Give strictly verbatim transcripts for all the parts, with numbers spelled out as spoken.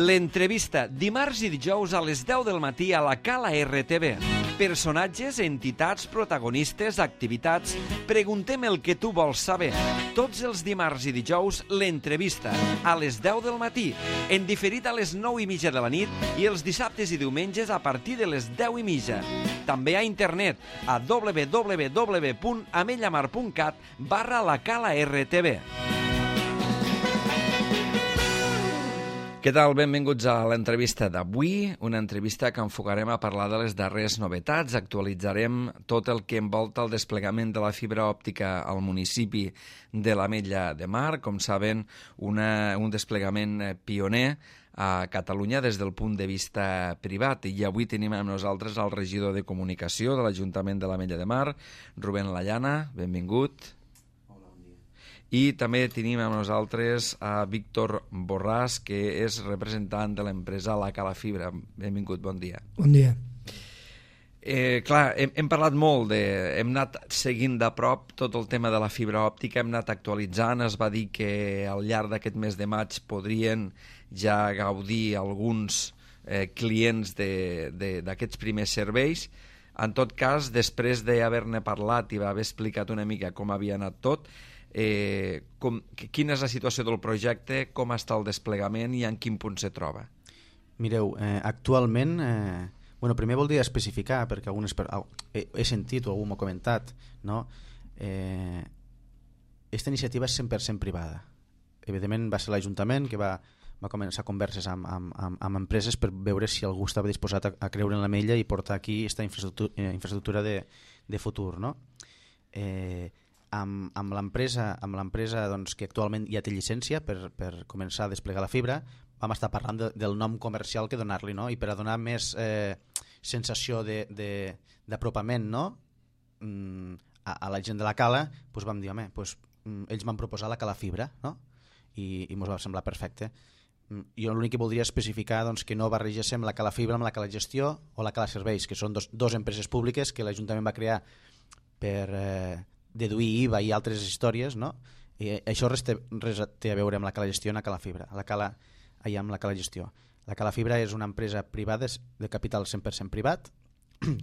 L'entrevista, dimarts i dijous a les deu del matí a la Cala R T V. Personatges, entitats, protagonistes, activitats... Preguntem el que tu vols saber. Tots els dimarts i dijous, l'entrevista, a les deu del matí, en diferit a les nou i mitja de la nit i els dissabtes i diumenges a partir de les deu i mitja. També a internet, a w w w punt amellamar punt cat barra la Cala R T V. Què tal? Benvinguts a l'entrevista d'avui, una entrevista que enfocarem a parlar de les darreres novetats. Actualitzarem tot el que envolta el desplegament de la fibra òptica al municipi de l'Ametlla de Mar. Com saben, una, un desplegament pioner a Catalunya des del punt de vista privat. I avui tenim amb nosaltres el regidor de Comunicació de l'Ajuntament de l'Ametlla de Mar, Rubén Layana. Benvingut. I també tenim amb nosaltres a Víctor Borràs, que és representant de l'empresa La Cala Fibra. Benvingut, bon dia. Bon dia. Eh, clar, hem, hem parlat molt, de, hem anat seguint de prop tot el tema de la fibra òptica, hem anat actualitzant, es va dir que al llarg d'aquest mes de maig podrien ja gaudir alguns eh, clients d'aquests primers serveis. En tot cas, després d'haver-ne parlat i haver explicat una mica com havia anat tot, Eh, com, quina és la situació del projecte, com està el desplegament i en quin punt se troba? Mireu, eh, actualment eh, bueno, primer voldria especificar, perquè algunes per... he, he sentit o algú m'ho ha comentat, no? eh, esta iniciativa és cent per cent privada. Evidentment va ser l'Ajuntament que va, va començar converses amb, amb, amb, amb empreses per veure si algú estava disposat a, a creure en l'Ametlla i portar aquí aquesta infraestructura, eh, infraestructura de, de futur, no? eh, amb, amb l'empresa amb l'empresa doncs, que actualment ja té llicència per, per començar a desplegar la fibra, vam estar parlant de, del nom comercial que donar-li, no? I per a donar més eh, sensació d'apropament, no? mm, a, a la gent de la Cala, doncs vam dir, home, doncs, mm, ells m'han proposat la Cala Fibra, no? I, i ens va semblar perfecte. Mm, jo l'únic que voldria especificar doncs, que no barregéssim la Cala Fibra amb la Cala Gestió o la Cala Serveis, que són dos, dos empreses públiques que l'Ajuntament va crear per... Eh, deduir I V A i altres històries, no? I això res té, res té a veure amb la Cala Gestió i la Cala Fibra, la Cala, allà amb la Cala Gestió. La Cala Fibra és una empresa privada de capital cent per cent privat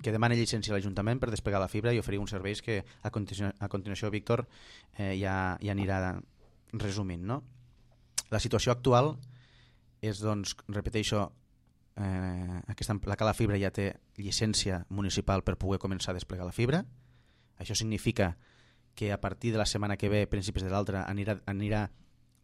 que demana llicència a l'Ajuntament per desplegar la fibra i oferir uns serveis que a continuació, a continuació Víctor eh, ja, ja anirà resumint, no? La situació actual és, doncs, repeteixo, eh, aquesta, la Cala Fibra ja té llicència municipal per poder començar a desplegar la fibra. Això significa que a partir de la setmana que ve, principis de l'altra, anirà, anirà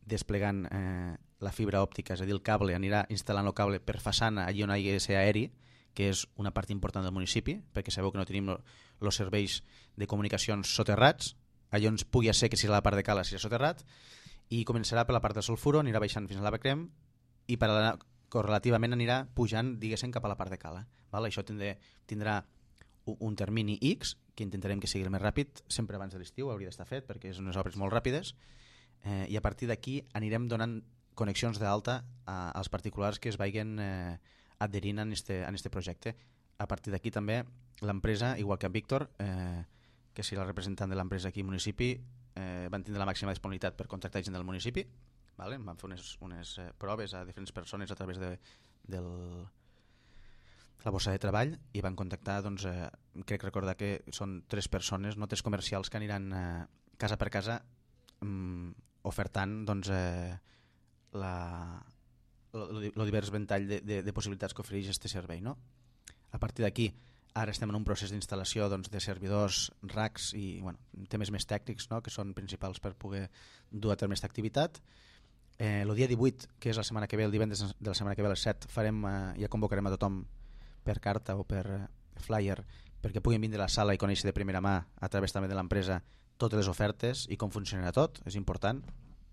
desplegant eh, la fibra òptica, és a dir, el cable, anirà instal·lant el cable per façana allí on hi ha ser aeri, que és una part important del municipi, perquè sabeu que no tenim els serveis de comunicacions soterrats, allò ens pugui ser que si la part de Cala serà soterrat, i començarà per la part del sulfuro, anirà baixant fins a l'Avecrem, i per a, correlativament anirà pujant, diguéssim, cap a la part de Cala. Val? Això tindrà, tindrà un termini X, que intentarem que sigui el més ràpid, sempre abans de l'estiu hauria d'estar fet, perquè és unes obres molt ràpides, eh, i a partir d'aquí anirem donant connexions d'alta als particulars que es vagin eh, adherint en este, en este projecte. A partir d'aquí també l'empresa, igual que en Víctor, eh, que és la representant de l'empresa aquí al municipi, eh, van tindre la màxima disponibilitat per contactar gent del municipi, vale? Van fer unes, unes eh, proves a diferents persones a través de, del... la bossa de treball i van contactar, doncs, eh, crec recordar que són tres persones, no tres comercials que aniran eh, casa per casa mm, ofertant doncs, eh, la, el, el divers ventall de, de, de possibilitats que ofereix aquest servei, no? A partir d'aquí, ara estem en un procés d'instal·lació doncs, de servidors, racks i bueno, temes més tècnics, no? Que són principals per poder dur a terme aquesta activitat. Eh, el dia divuit, que és la setmana que ve, el divendres de la setmana que ve a les set, farem, eh, ja convocarem a tothom per carta o per flyer perquè puguin vindre a la sala i conèixer de primera mà a través també de l'empresa totes les ofertes i com funcionarà tot, és important.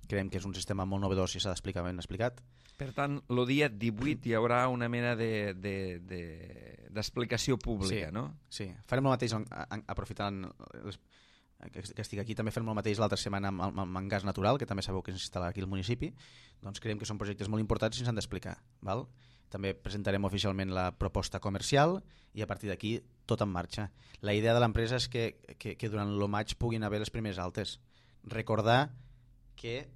Creiem que és un sistema molt novedós i s'ha d'explicar ben explicat. Per tant, el dia divuit hi haurà una mena d'explicació de, de, de, pública, sí, no? Sí, farem el mateix, aprofitant les, que estic aquí, també farem el mateix l'altra setmana amb, amb, amb gas natural, que també sabeu que s'instal·la aquí al municipi. Doncs creiem que són projectes molt importants i s'han d'explicar, val? També presentarem oficialment la proposta comercial i a partir d'aquí tot en marxa. La idea de l'empresa és que, que, que durant el maig puguin haver les primeres altes. Recordar que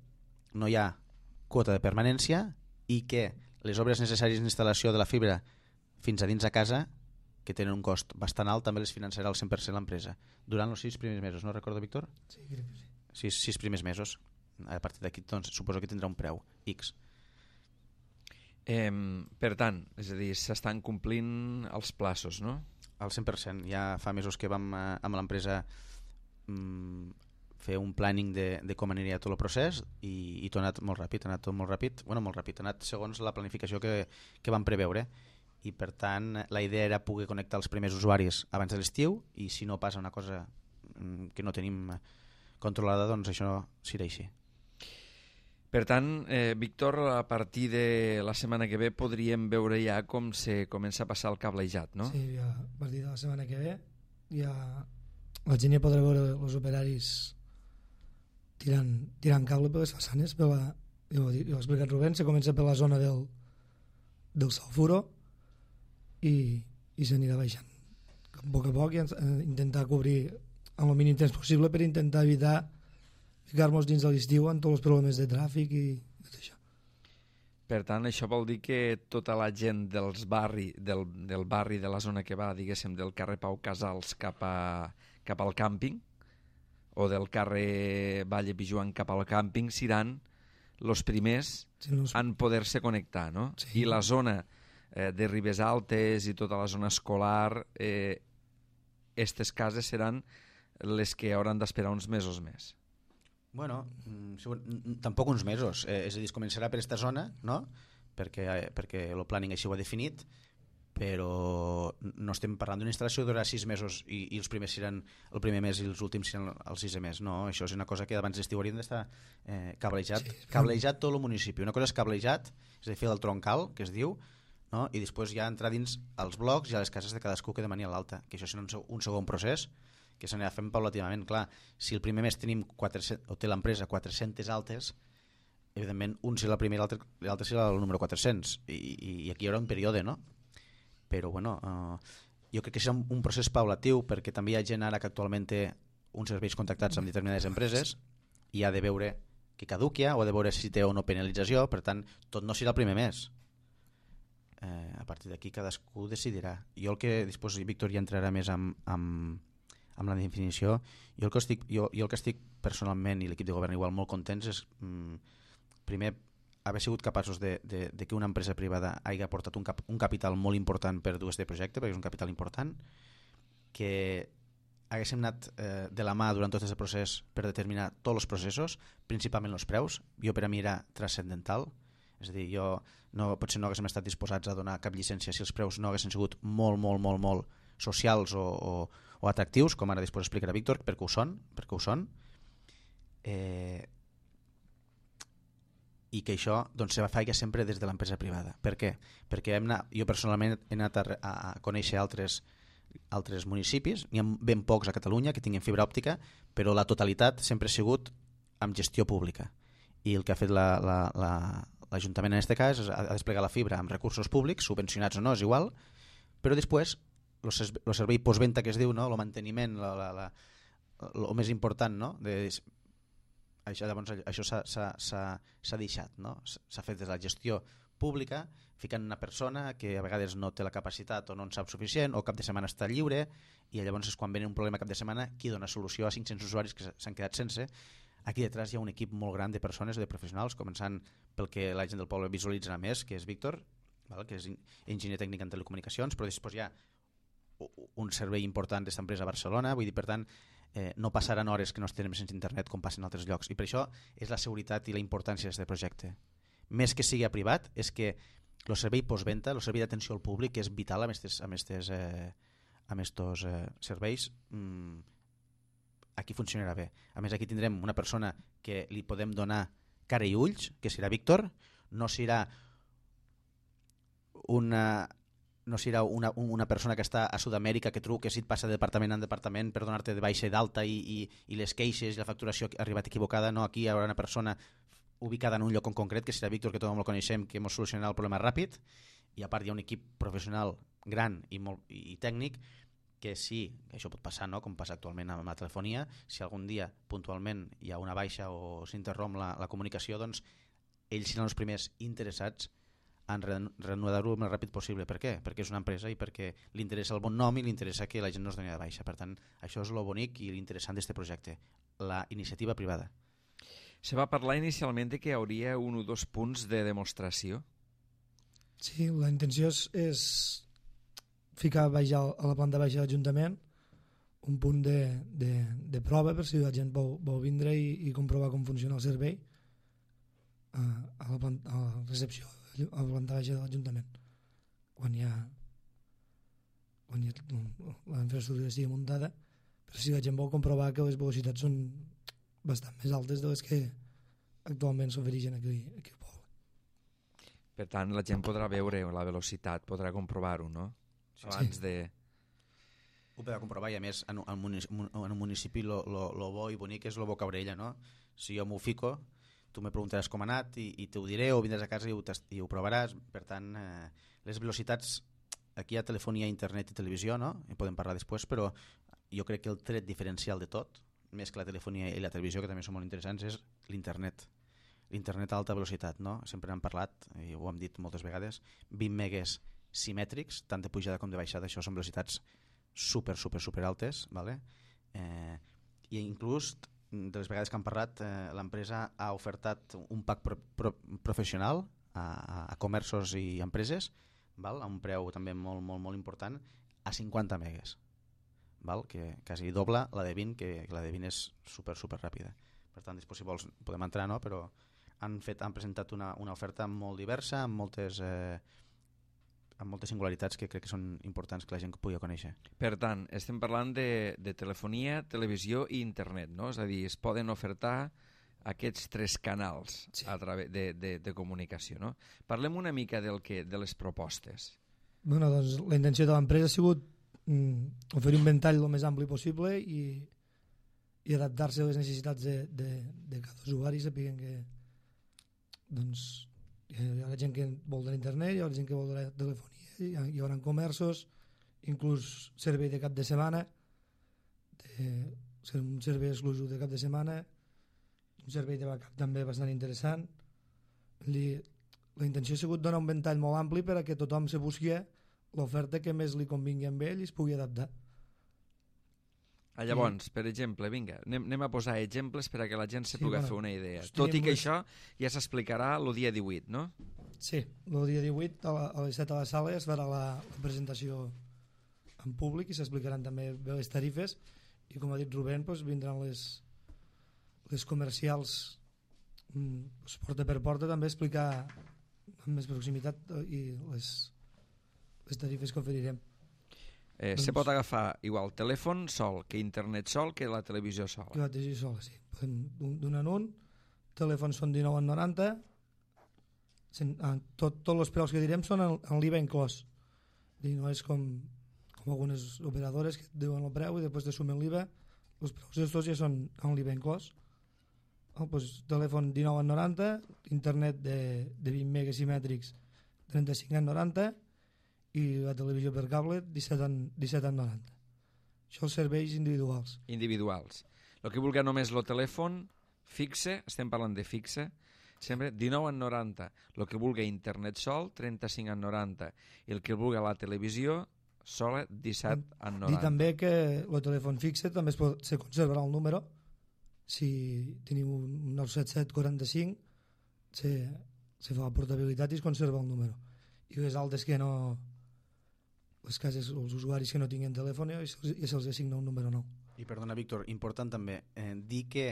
no hi ha quota de permanència i que les obres necessàries d'instal·lació de la fibra fins a dins a casa, que tenen un cost bastant alt, també les finançarà al cent per cent l'empresa. Durant els sis primers mesos, no recordo, Víctor? Sí, crec que sí. Sis, sis primers mesos. A partir d'aquí, doncs, suposo que tindrà un preu X. Eh, per tant, és a dir, s'estan complint els plaços, no? Al cent per cent. Ja fa mesos que vam eh, amb l'empresa mm, fer un planning de, de com aniria tot el procés i, i tot ha anat molt ràpid, ha anat tot molt ràpid, bueno, molt ràpid, ha anat segons la planificació que, que vam preveure, i per tant la idea era poder connectar els primers usuaris abans de l'estiu, i si no passa una cosa mm, que no tenim controlada, doncs això serà així. Per tant, eh, Víctor, a partir de la setmana que ve podríem veure ja com se comença a passar el cablejat, no? Sí, ja, a partir de la setmana que ve ja la gent ja podrà veure els operaris tirant, tirant cable per les façanes, per la, ja ho ha explicat Rubén, se comença per la zona del, del sulfuro i, i s'anirà baixant a poc a poc i intentar cobrir en el mínim temps possible per intentar evitar ficar-nos dins de l'estiu amb tots els problemes de tràfic i tot això. Per tant, això vol dir que tota la gent dels barri, del, del barri de la zona que va, diguéssim, del carrer Pau Casals cap, a, cap al càmping, o del carrer Valle Pijuan cap al càmping, seran els primers sí, los... en poder-se connectar, no? Sí. I la zona eh, de Ribes Altes i tota la zona escolar, eh, estes cases seran les que hauran d'esperar uns mesos més. Bueno, tampoc uns mesos, eh, és a dir, es començarà per aquesta zona, no? Perquè, eh, perquè el planning així ho ha definit, però no estem parlant d'una instal·lació que durarà sis mesos i, i els primers seran el primer mes i els últims seran el sisè mes. No, això és una cosa que abans d'estiu haurien d'estar eh, cablejat, sí, cablejat tot el municipi. Una cosa és cablejat, és a dir, fer el troncal, que es diu, no? I després ja entrar dins els blocs i a les cases de cadascú que demani a l'alta, que això serà un, un segon procés que s'anirà fent paulatinament. Clar, si el primer mes tenim quatre-cents, o té l'empresa quatre-centes altes, evidentment un serà el primer i l'altre serà el número quatre-cents, i, i, i aquí hi haurà un període, no? Però bueno, uh, jo crec que serà un, un procés paulatiu, perquè també hi ha gent ara que actualment té uns serveis contactats amb determinades empreses i ha de veure que caduquia o ha de veure si té o no penalització. Per tant, tot no serà el primer mes. Eh, a partir d'aquí cadascú decidirà. Jo el que després Víctor ja entrarà més amb, amb amb la definició, jo el que estic, jo, jo el que estic personalment i l'equip de govern igual molt contents és mm, primer haver sigut capaços de, de, de que una empresa privada hagi aportat un, cap, un capital molt important per dur este projecte, perquè és un capital important, que haguéssim anat eh, de la mà durant tot aquest procés per determinar tots els processos, principalment els preus. Jo per a mi era transcendental, és a dir, jo no, potser no haguéssim estat disposats a donar cap llicència si els preus no haguessin sigut molt, molt, molt, molt socials o, o, o atractius, com ara després explicarà Víctor, perquè ho són, perquè ho són. Eh, i que això doncs, se fa sempre des de l'empresa privada. Per què? Perquè hem anat, jo personalment he anat a, a conèixer altres, altres municipis, n'hi ha ben pocs a Catalunya que tinguin fibra òptica, però la totalitat sempre ha sigut amb gestió pública. I el que ha fet la, la, la, l'Ajuntament en aquest cas és a desplegar la fibra amb recursos públics, subvencionats o no, és igual, però després el servei postventa que es diu, no? El manteniment, la, la, la, el més important, no? De, això llavors, això s'ha deixat, no? S'ha fet des de la gestió pública, ficant una persona que a vegades no té la capacitat o no en sap suficient o cap de setmana està lliure, i llavors és quan ve un problema cap de setmana qui dona solució a cinc-cents usuaris que s'han quedat sense. Aquí detrás hi ha un equip molt gran de persones o de professionals, començant pel que la gent del poble visualitzarà més, que és Víctor, val? Que és enginyer tècnic en telecomunicacions, però després hi ha un servei important d'aquesta empresa a Barcelona, vull dir, per tant, eh, no passaran hores que no estiguem sense internet com passen en altres llocs, i per això és la seguretat i la importància d'aquest projecte. Més que sigui a privat, és que el servei postventa, el servei d'atenció al públic, és vital amb estos, amb estos, eh, amb estos eh, serveis, mm, aquí funcionarà bé. A més, aquí tindrem una persona que li podem donar cara i ulls, que serà Víctor, no serà una... no serà una, una persona que està a Sud-amèrica que truca si et passa de departament en departament per donar-te de baixa i d'alta i, i, i les queixes i la facturació ha arribat equivocada. No, aquí hi haurà una persona ubicada en un lloc en concret, que serà Víctor, que tothom el coneixem, que ens solucionarà el problema ràpid, i a part hi ha un equip professional gran i, molt, i, i tècnic que sí, que això pot passar, no? Com passa actualment amb la telefonia, si algun dia puntualment hi ha una baixa o s'interromp la, la comunicació, doncs ells seran els primers interessats en reanudar-ho el més ràpid possible. Per què? Perquè és una empresa i perquè li interessa el bon nom i li interessa que la gent no es doni de baixa. Per tant, això és el bonic i l'interessant d'aquest projecte, la iniciativa privada. Se va parlar inicialment de que hi hauria un o dos punts de demostració. Sí, la intenció és, és ficar baix a la planta baixa de l'Ajuntament un punt de, de, de prova per si la gent vol, vol vindre i, i comprovar com funciona el servei a, a, la, planta, a la recepció, a la planta baixa de l'Ajuntament. Quan hi ha, quan hi ha la infraestructura estigui muntada, per si la gent vol comprovar que les velocitats són bastant més altes de les que actualment s'ofereixen aquí, aquí al poble. Per tant, la gent podrà veure la velocitat, podrà comprovar-ho, no? Abans sí. de... Ho podrà comprovar i a més en un municipi, en un municipi lo, lo, lo bo i bonic és lo boca orella, no? Si jo m'ho fico, tu me preguntaràs com ha anat i, i t'ho diré o vindràs a casa i ho, i ho provaràs. Per tant, eh, les velocitats, aquí hi ha telefonia, internet i televisió, no? En podem parlar després, però jo crec que el tret diferencial de tot, més que la telefonia i la televisió, que també són molt interessants, és l'internet. L'internet a alta velocitat, no? Sempre n'hem parlat, i ho hem dit moltes vegades, vint megues simètrics, tant de pujada com de baixada, això són velocitats super, super, super altes, vale? eh, i inclús de les vegades que han parlat, eh, l'empresa ha ofertat un pack pro, pro, professional a, a, a comerços i empreses, val? A un preu també molt, molt, molt important, a cinquanta megues, val? Que quasi dobla la de vint, que, que la de vint és super, super ràpida. Per tant, després si vols podem entrar, no? Però han, fet, han presentat una, una oferta molt diversa, amb moltes, eh, amb moltes singularitats que crec que són importants que la gent pugui conèixer. Per tant, estem parlant de, de telefonia, televisió i internet, no? És a dir, es poden ofertar aquests tres canals sí. a través de, de, de comunicació, no? Parlem una mica del que, de les propostes. Bueno, doncs la intenció de l'empresa ha sigut mm, oferir un ventall el més ampli possible i, i adaptar-se a les necessitats de, de, de cada usuari, sapiguen que doncs hi ha gent que vol de l'internet, hi ha gent que vol de la telefonia, hi, ha, hi haurà comerços, inclús servei de cap de setmana, de, un servei exclusiu de cap de setmana, un servei de backup també bastant interessant. Li, la intenció ha sigut donar un ventall molt ampli per a que tothom se busqui l'oferta que més li convingui amb ell i es pugui adaptar. Ah, llavors, per exemple, vinga, anem, anem a posar exemples per a que la gent se sí, pugui bueno, fer una idea. doncs Tot i que les... això ja s'explicarà el dia divuit, no? Sí, el dia divuit a, la, a les set a la sala es farà la, la presentació en públic i s'explicaran també bé les tarifes i com ha dit Rubén, doncs, vindran les, les comercials doncs, porta per porta també a explicar amb més proximitat i les, les tarifes que oferirem. Eh, doncs, se pot agafar igual telèfon sol, que internet sol, que la televisió sola. Que la televisió sola, sí. Podem d'un en un, telèfons són dinou en noranta, tots tot els preus que direm són en, en l'I V A inclòs. I no és com, com algunes operadores que diuen el preu i després te sumen l'I V A, els preus d'estos ja són en l'I V A inclòs. Oh, doncs, telèfon dinou en noranta, internet de, de vint megas simètrics trenta-cinc en noranta i la televisió per cable disset en noranta. Això els serveis individuals. Individuals. El que vulgui només el telèfon fixe, estem parlant de fixe, sempre dinou en noranta. El que vulgui internet sol, trenta-cinc en noranta. I el que vulgui la televisió sola, disset en noranta. I també que el telèfon fixe també es, pot, se conservarà el número. Si teniu un nou set set quaranta-cinc se, se fa la portabilitat i es conserva el número. I les altres que no... les cases, els usuaris que no tinguin telèfon i se'ls assigna un número nou. I perdona, Víctor, important també eh, dir que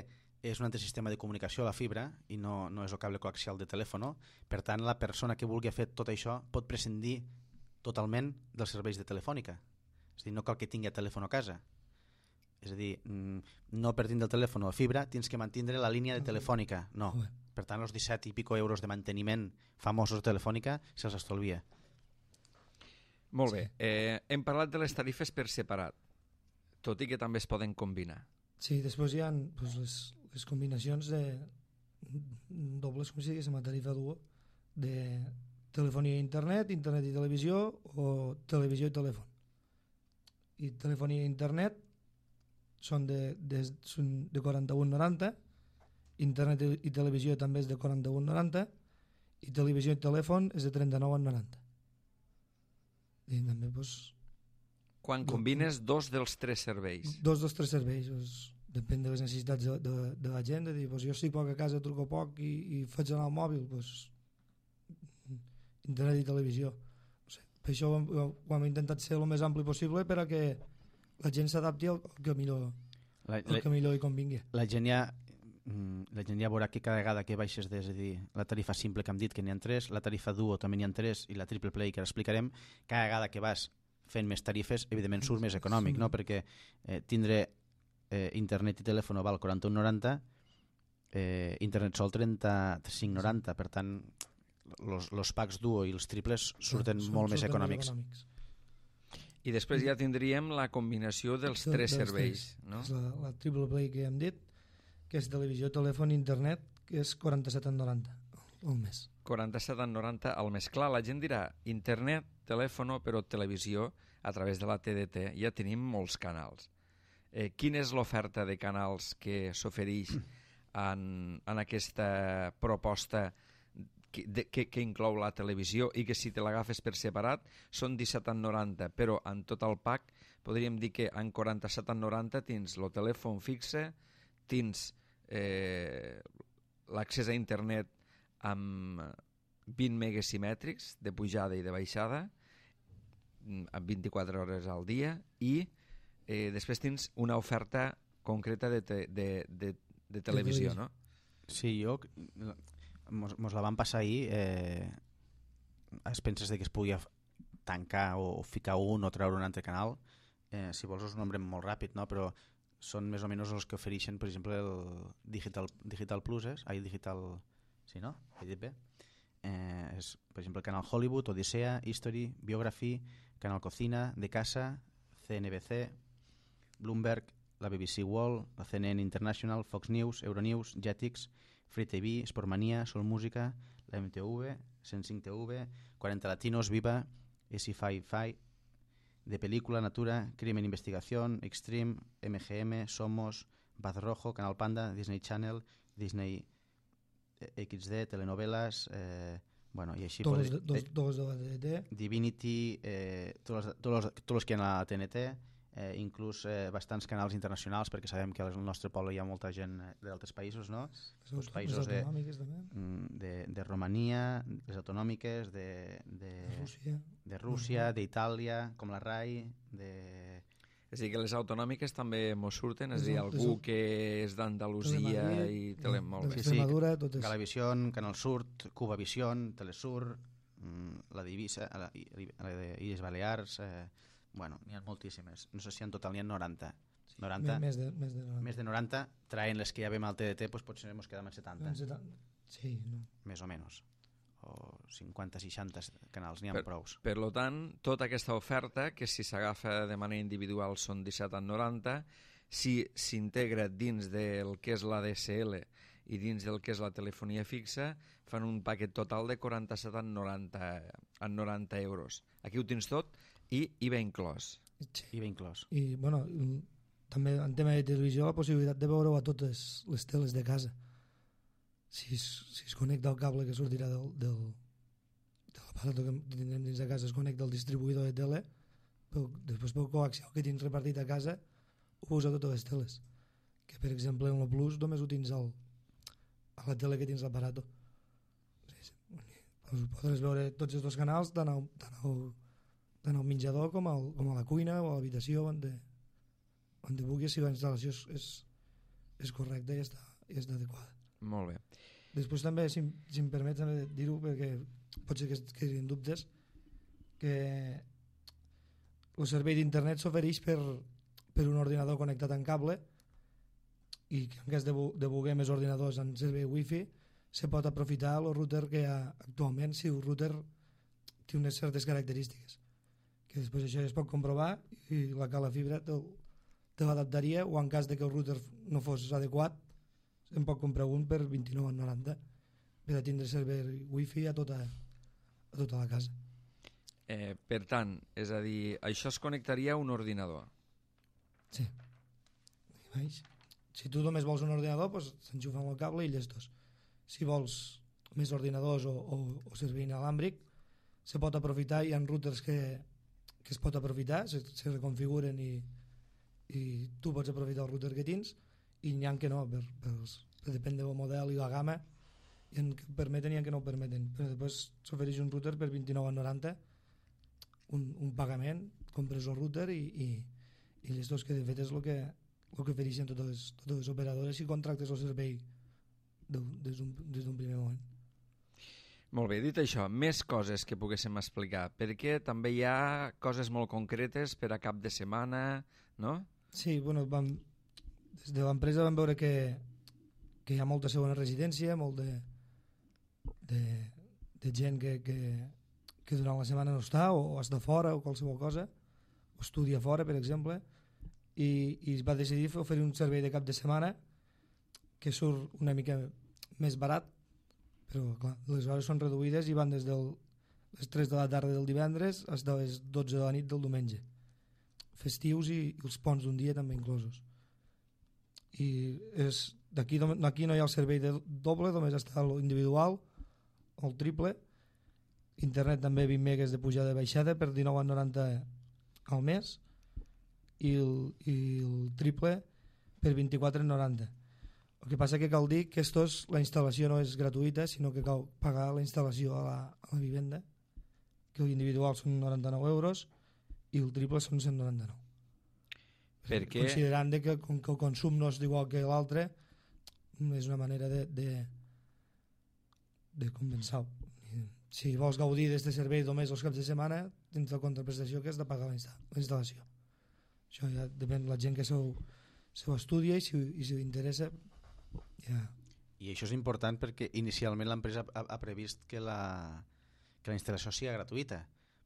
és un altre sistema de comunicació a la fibra i no, no és el cable coaxial de telèfon. Per tant, la persona que vulgui fer tot això pot prescindir totalment dels serveis de telefònica. És a dir, no cal que tingui telèfon a casa. És a dir, no per tindre el telèfon o fibra tens que mantindre la línia de telefònica. No. Per tant, els disset i pico euros de manteniment famosos de telefònica se'ls estalvia. Molt bé. Eh, hem parlat de les tarifes per separat, tot i que també es poden combinar. Sí, després hi ha doncs, les, les combinacions de dobles, com si diguéssim, a tarifa duo, de telefonia i internet, internet i televisió, o televisió i telèfon. I telefonia i internet són de, de, són de quaranta-un noranta, internet i televisió també és de quaranta-un noranta, i televisió i telèfon és de trenta-nou a noranta. I també, doncs... Quan combines dos dels tres serveis. Dos dels tres serveis, doncs, depèn de les necessitats de, de, de la gent, de dir, doncs, jo estic poc a casa, truco poc i, i faig anar al mòbil, doncs, internet i televisió. No sé, per això ho, ho, ho hem intentat ser el més ampli possible perquè la gent s'adapti al que millor, la, la, el que millor hi convingui. La gent ja la gent ja veurà que cada vegada que baixes des, és a dir, la tarifa simple que hem dit que n'hi ha tres, la tarifa duo també n'hi ha tres i la triple play que ara explicarem, cada vegada que vas fent més tarifes evidentment surt més econòmic, no? Perquè eh, tindre eh, internet i telèfon val quaranta-un noranta, eh, internet sol trenta-cinc noranta, per tant los, los packs duo i els triples surten sí, molt més econòmics. econòmics I després ja tindríem la combinació dels tres dels serveis, tres. No? És la, la triple play que hem dit, que és televisió, telèfon i internet, que és quaranta-set noranta al mes. quaranta-set noranta al mes. Clar, la gent dirà internet, telèfon, però televisió a través de la T D T. Ja tenim molts canals. Eh, quina és l'oferta de canals que s'ofereix en, en aquesta proposta que, de, que, que inclou la televisió i que si te l'agafes per separat són disset noranta, però en tot el pack podríem dir que en quaranta-set noranta tens el telèfon fixe, tens eh, l'accés a internet amb vint megas simètrics de pujada i de baixada amb vint-i-quatre hores al dia i eh, després tens una oferta concreta de, te, de, de, de televisió, no? Sí, jo mos, mos la van passar ahir eh, es penses de que es podia tancar o, o ficar un o treure un altre canal, eh, si vols us nombrem molt ràpid, no? Però són més o menys els que ofereixen, per exemple, el Digital, Digital Plus, és? Ai, Digital... Sí, no? He dit bé? Eh, és, per exemple, el canal Hollywood, Odissea, History, Biography, Canal Cocina, De Casa, C N B C, Bloomberg, la B B C World, la C N N International, Fox News, Euronews, Jetix, Free T V, Sportmania, Sol Música, la M T V, cent cinc T V, quaranta Latinos, Viva, S cinc Fi, de Película, Natura, Crimen Investigación, Extreme, M G M, Somos, Baz Rojo, Canal Panda, Disney Channel, Disney X D, telenovelas, eh, bueno, i així... Tots els dos, dos de la T N T. Divinity, eh, tots, els, tots, els, tots els que hi ha a la T N T, eh, inclús eh, bastants canals internacionals, perquè sabem que al nostre poble hi ha molta gent d'altres països, no? Els països de, de, de Romania, les autonòmiques, de, de, de Rússia, de Rússia, d'Itàlia, com la RAI, de... És a dir, que les autonòmiques també mos surten, és a dir, algú que és d'Andalusia i tele... Molt bé. Sí, sí, Galavision, Canal Sur, Cubavision, Telesur, la Divisa, la, la de Illes Balears, eh, bueno, n'hi ha moltíssimes. No sé si en total n'hi ha noranta. noranta més, de, més, de noranta. Més de noranta, traient les que ja vam al T D T, doncs potser ens quedem en setanta. Sí, no. Més o menys. O cinquanta seixanta canals, n'hi ha per, prous. Per lo tant, tota aquesta oferta, que si s'agafa de manera individual són disset noranta, si s'integra dins del que és la D S L i dins del que és la telefonia fixa, fan un paquet total de quaranta-set en noranta euros. Aquí ho tens tot i I V A inclòs. Sí. I V A inclòs. I, bueno, també en tema de televisió la possibilitat de veure-ho a totes les teles de casa. Si es, si es connecta el cable que sortirà del, del, de l'aparato que tindrem dins de casa, es connecta al distribuïdor de tele, però després pel coaxial que tens repartit a casa ho veus a totes les teles, que per exemple en el Plus només ho tens al, a la tele que tens l'aparato. Podràs veure tots els dos canals tant al, tant al, tant al menjador com, al, com a la cuina o a l'habitació on, de, on de vulguis, si la instal·lació és, és, és correcta i està, i està adequada. Molt bé. Després també, si, si em permets també dir-ho, perquè pot ser que es quedin dubtes, que el servei d'internet s'ofereix per, per un ordinador connectat en cable i que en cas de, de voler més ordinadors en servei wifi se pot aprofitar el router que hi ha actualment si el router té unes certes característiques que després això ja es pot comprovar i la cala fibra te, te l'adaptaria, o en cas de que el router no fos adequat se'n pot comprar un per vint-i-nou noranta per a tindre servei wifi a tota, a tota la casa. Eh, per tant, és a dir, això es connectaria a un ordinador. Sí. Si tu només vols un ordinador, doncs s'enxufa amb el cable i llestos. Si vols més ordinadors o, o, o servei inalàmbric, se pot aprofitar, hi ha routers que, que es pot aprofitar, se, se reconfiguren i, i tu pots aprofitar el router que tens, i n'hi ha que no, per, per, per depèn del model i la gamma, i en que permeten i en que no ho permeten, però després s'ofereix un router per vint-i-nou coma noranta, un, un pagament, compres el router i, i, i les dos que de fet és el que, el que ofereixen totes les, totes les operadores si contractes el servei de, des d'un primer moment. Molt bé, dit això, més coses que poguéssim explicar, perquè també hi ha coses molt concretes per a cap de setmana, no? Sí, bueno, vam, des de l'empresa vam veure que, que hi ha molta segona residència, molt de, de, de gent que, que, que durant la setmana no està, o, o està fora, o qualsevol cosa, o estudia fora, per exemple, i, i es va decidir oferir un servei de cap de setmana que surt una mica més barat, però clar, les hores són reduïdes i van des de les tres de la tarda del divendres fins a les dotze de la nit del diumenge, festius i, i els ponts d'un dia també inclosos, i és d'aquí aquí no hi ha el servei de doble, només està l'individual o el triple. Internet també vint megues de pujada i baixada per dinou coma noranta al mes i el, i el triple per vint-i-quatre coma noranta. El que passa que cal dir que estos, la instal·lació no és gratuïta, sinó que cal pagar la instal·lació a la, a la vivenda, que l'individual són noranta-nou euros i el triple són cent noranta-nou. Perquè... Considerant de que, com que el consum no és igual que l'altre, és una manera de, de, de compensar. Si vols gaudir d'aquest servei només els caps de setmana, tens la contraprestació que has de pagar la instal·lació. Això ja depèn de la gent que s'ho estudia i si, i si interessa. Yeah. I això és important perquè inicialment l'empresa ha, ha previst que la, que la instal·lació sigui gratuïta,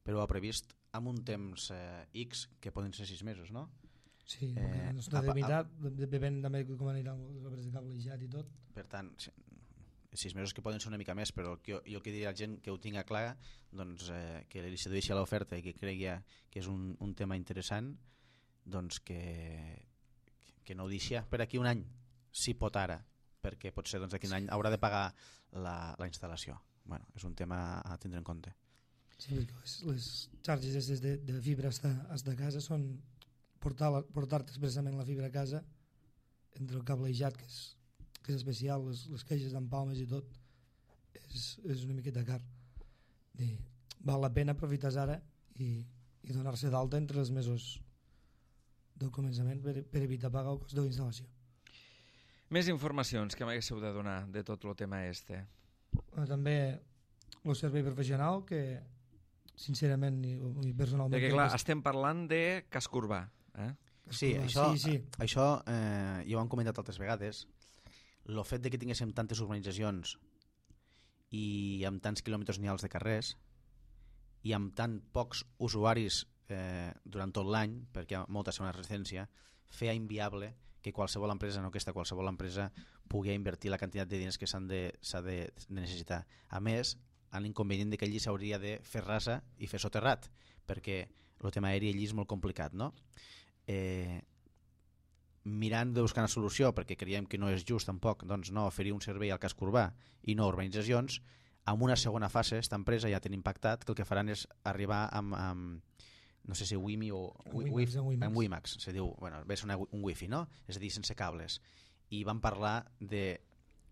però ha previst amb un temps eh, X, que poden ser sis mesos, no? Sí, eh, no està delimitat, depèn també com aniran les obres de cablejat i tot. Per tant, sis mesos que poden ser una mica més, però jo, jo que diria a la gent que ho tinga clar, doncs, eh, que li sedueixi a l'oferta i que cregui que és un, un tema interessant, doncs que, que no ho deixi per aquí un any, si pot ara, perquè potser doncs, d'aquí un any haurà de pagar la, la instal·lació. Bueno, és un tema a tindre en compte. Sí, perquè les, les xarxes de, de fibra fins a casa són portar, portar expressament la fibra a casa entre el cablejat, que és, que és especial, les, les caixes d'empalmes i tot, és, és una miqueta car. I val la pena aprofitar ara i, i donar-se d'alta entre els mesos del començament per, per evitar pagar el cost de la instal·lació. Més informacions que m'haguéssiu de donar de tot el tema este. També el servei professional, que sincerament i, i personalment... Perquè clar, que... estem parlant de casc urbà. Eh? Sí, això, sí, sí. això eh, ja ho han comentat altres vegades. El fet de que tinguéssim tantes urbanitzacions i amb tants quilòmetres nials de carrers i amb tan pocs usuaris eh, durant tot l'any, perquè hi ha molta segona residència, feia inviable que qualsevol empresa, no aquesta qualsevol empresa, pugui invertir la quantitat de diners que s'han de, s'ha de, de necessitar. A més, l'inconvenient de que allí s'hauria de fer rasa i fer soterrat, perquè el tema aeri allí és molt complicat, no? Eh, mirant de buscar una solució, perquè creiem que no és just tampoc, doncs no oferir un servei al casc urbà i no urbanitzacions, en una segona fase, aquesta empresa ja té impactat que el que faran és arribar amb, amb no sé si Wimi o Wimax, en Wimax. Wimax, se diu, bueno, ve una, un wifi, no? És a dir, sense cables. I van parlar de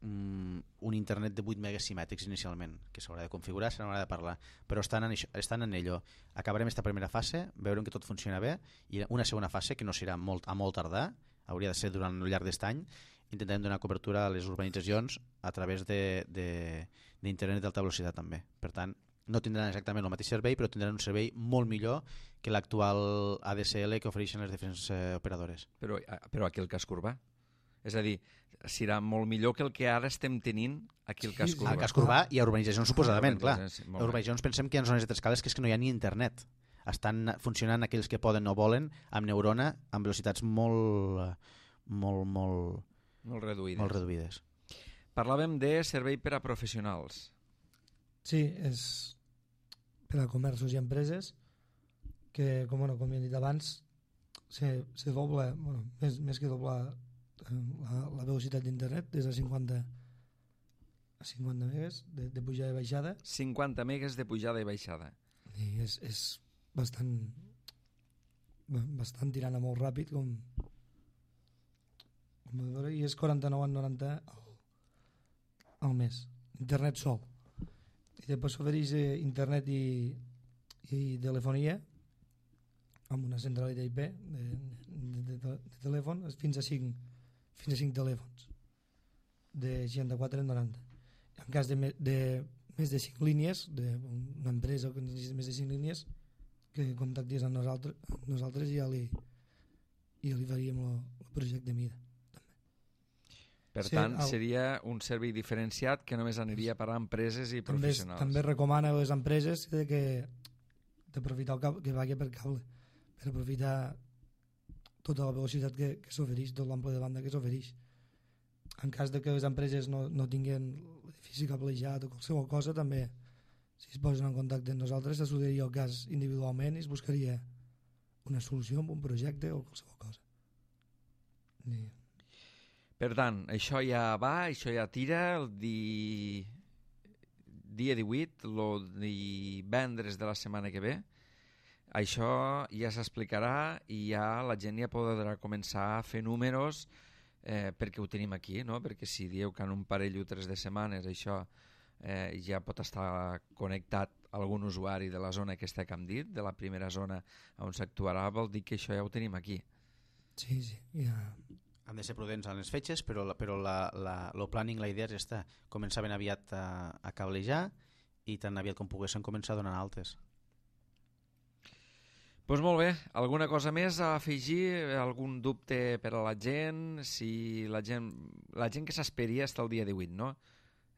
um, un internet de vuit megas simètrics inicialment, que s'haurà de configurar, se n'haurà de parlar, però estan en, això, estan en ello. Acabarem esta primera fase, veurem que tot funciona bé, i una segona fase, que no serà molt, a molt tardar, hauria de ser durant el llarg d'aquest any, intentarem donar cobertura a les urbanitzacions a través d'internet d'alta velocitat també. Per tant, no tindran exactament el mateix servei, però tindran un servei molt millor que l'actual A D S L que ofereixen les diferents eh, operadores. Però, però aquí el casc urbà. És a dir, serà molt millor que el que ara estem tenint aquí el casc urbà. Al casc urbà i a urbanitzacions, suposadament, clar. Sí, a urbanitzacions pensem que hi ha zones de tres cales que és que no hi ha ni internet. Estan funcionant aquells que poden o volen amb neurona amb velocitats molt molt, molt, molt reduïdes. Molt reduïdes. Parlàvem de servei per a professionals. Sí, és per a comerços i empreses que, com, bueno, com he dit abans, se, se dobla, bueno, més, més que doblar la, la velocitat d'internet des de cinquanta a cinquanta megas de, de pujada i baixada. cinquanta megas de pujada i baixada. I és, és bastant bastant tirant a molt ràpid com, com a veure, i és quaranta-nou coma noranta al, al mes, internet sol, i després s'ofereix eh, internet i, i telefonia amb una centralitat I P de, de, de, de telèfon fins a cinc fins a cinc telèfons de seixanta-quatre a noranta. En cas de, me, de més de cinc línies, d'una empresa que necessita més de cinc línies, que contactis amb nosaltres, amb nosaltres i ja li, i ja li faríem el projecte mida. També. Per sí, tant, el, seria un servei diferenciat que només aniria a parar a empreses i també, professionals. També recomana a les empreses de que d'aprofitar el cable, que vagi per cable, per aprofitar tota la velocitat que, que s'ofereix, tot l'ample de banda que s'ofereix. En cas de que les empreses no, no tinguin l'edifici cablejat o qualsevol cosa, també, si es posen en contacte amb nosaltres, s'estudiaria el cas individualment i es buscaria una solució amb un projecte o qualsevol cosa. I... Per tant, això ja va, això ja tira el di... dia divuit, el divendres de la setmana que ve. Això ja s'explicarà i ja la gent ja podrà començar a fer números eh, perquè ho tenim aquí, no? Perquè si dieu que en un parell o tres de setmanes això eh, ja pot estar connectat algun usuari de la zona aquesta que hem dit, de la primera zona on s'actuarà, vol dir que això ja ho tenim aquí. Sí, sí, ja... Han de ser prudents en les fetges, però, però la, la, el planning, la idea és esta, començar ben aviat a, a cablejar i tan aviat com poguessin començar a donar altes. Doncs pues molt bé, alguna cosa més a afegir, algun dubte per a la gent, si la gent, la gent que s'esperia està el dia divuit, no?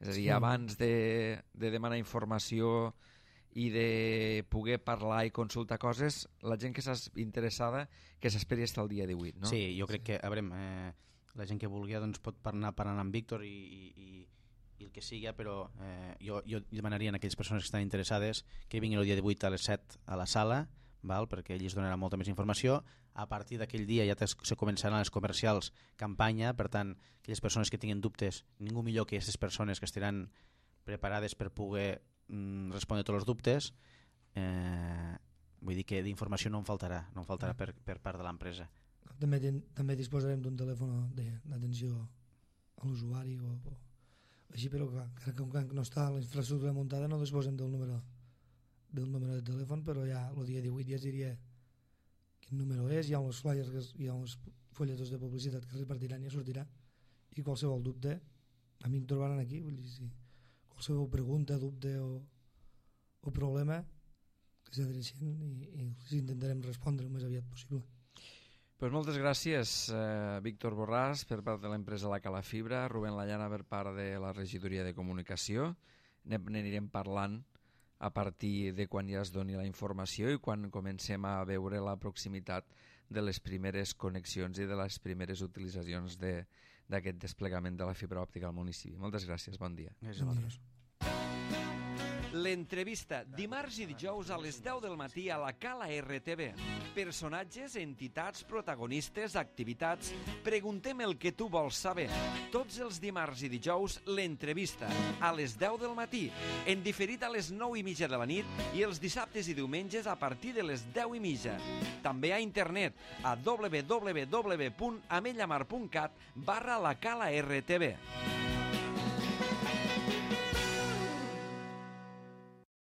És a dir, sí. Abans de, de demanar informació i de poder parlar i consultar coses, la gent que s'ha interessada que s'esperi fins al dia divuit, no? Sí, jo crec que, a veure, eh, la gent que vulgui doncs, pot anar parlant amb Víctor i, i, i el que sigui, però eh, jo, jo demanaria a aquelles persones que estan interessades que vinguin el dia divuit a les set a la sala, val? Perquè ell es donarà molta més informació. A partir d'aquell dia ja se començaran les comercials campanya, per tant, aquelles persones que tinguin dubtes, ningú millor que aquestes persones que estaran preparades per poder mm, respondre tots els dubtes. Eh, vull dir que d'informació no en faltarà, no en faltarà per, per part de l'empresa. També, també disposarem d'un telèfon d'atenció a l'usuari o, o així, però clar, com que no està la infraestructura muntada no disposem del número del número de telèfon, però ja el dia divuit ja es diria quin número és, hi ha uns flyers, que, hi ha uns folletons de publicitat que es repartiran i ja sortirà, i qualsevol dubte a mi em trobaran aquí, vull dir, si qualsevol pregunta, dubte o, o problema que s'adrecien i, i els intentarem respondre el més aviat possible. Pues moltes gràcies, eh, Víctor Borràs, per part de l'empresa La Cala Fibra, Rubén Llana per part de la regidoria de comunicació. N'anirem parlant a partir de quan ja es doni la informació i quan comencem a veure la proximitat de les primeres connexions i de les primeres utilitzacions d'aquest de, desplegament de la fibra òptica al municipi. Moltes gràcies, bon dia. Gràcies a vosaltres. L'entrevista, dimarts i dijous a les deu del matí a la Cala R T V. Personatges, entitats, protagonistes, activitats... Preguntem el que tu vols saber. Tots els dimarts i dijous, l'entrevista, a les deu del matí, en diferit a les nou i mitja de la nit i els dissabtes i diumenges a partir de les deu i mitja. També a internet, a w w w punt amellamar punt cat barra la Cala R T V.